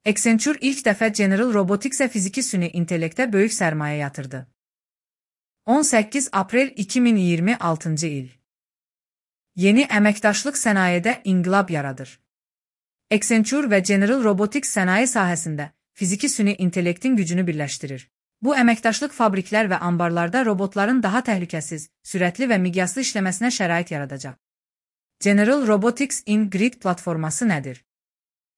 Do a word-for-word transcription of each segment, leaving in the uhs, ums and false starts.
Accenture ilk dəfə General Robotics-ə fiziki süni intellektə böyük sərmayə yatırdı. on səkkiz aprel iki min iyirmi altıncı il. Yeni əməkdaşlıq sənayedə inqilab yaradır. Accenture və General Robotics sənaye sahəsində fiziki süni intellektin gücünü birləşdirir. Bu əməkdaşlıq fabriklər və ambarlarda robotların daha təhlükəsiz, sürətli və miqyaslı işləməsinə şərait yaradacaq. General Robotics in-Grid platforması nədir?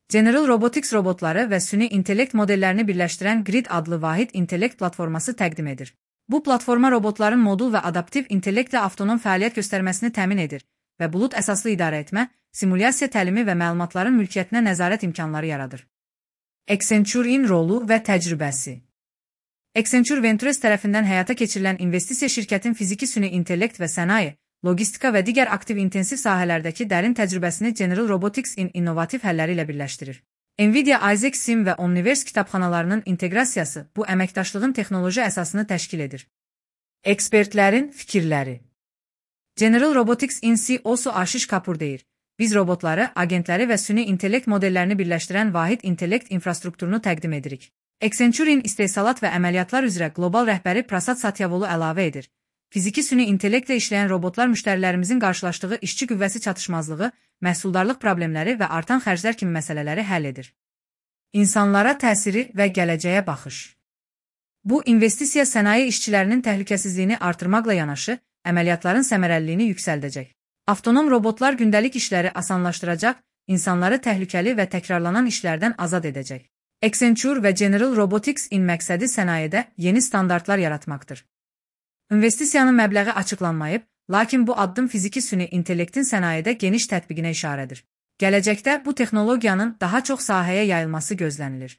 General Robotics robotları və süni intellekt modellərini birləşdirən Grid adlı vahid intellekt platforması təqdim edir. Bu platforma robotların modul və adaptiv intellektlə avtonom fəaliyyət göstərməsini təmin edir və bulud əsaslı idarə etmə, simulyasiya təlimi və məlumatların mülkiyyətinə nəzarət imkanları yaradır. Accenture-in rolu və təcrübəsi. Accenture Ventures tərəfindən həyata keçirilən investisiya şirkətin fiziki süni intellekt və sənaye, logistika və digər aktiv intensiv sahələrdəki dərin təcrübəsini General Robotics-in innovativ həlləri ilə birləşdirir. Nvidia Isaac Sim və Omniverse kitabxanalarının inteqrasiyası bu əməkdaşlığın texnoloji əsasını təşkil edir. Ekspertlərin fikirləri. General Robotics-in C E O-su Ashish Kapoor deyir, biz robotları, agentləri və süni intellekt modellərini birləşdirən vahid intellekt infrastrukturunu təqdim edirik. Accenture-in istehsalat və əməliyyatlar üzrə qlobal rəhbəri Prasad Satyavolu əlavə edir. Fiziki süni intellektlə işləyən robotlar müştərilərimizin qarşılaşdığı işçi qüvvəsi çatışmazlığı, məhsuldarlıq problemləri və artan xərclər kimi məsələləri həll edir. İnsanlara təsiri və gələcəyə baxış. Bu, investisiya sənaye işçilərinin təhlükəsizliyini artırmaqla yanaşı, əməliyyatların səmərəliliyini yüksəldəcək. Avtonom robotlar gündəlik işləri asanlaşdıracaq, insanları təhlükəli və təkrarlanan işlərdən azad edəcək. Accenture və General Robotics-in məqsədi sənayedə yeni standartlar yaratmaqdır. İnvestisiyanın məbləği açıqlanmayıb, lakin bu addım fiziki süni intellektin sənayedə geniş tətbiqinə işarədir. Gələcəkdə bu texnologiyanın daha çox sahəyə yayılması gözlənilir.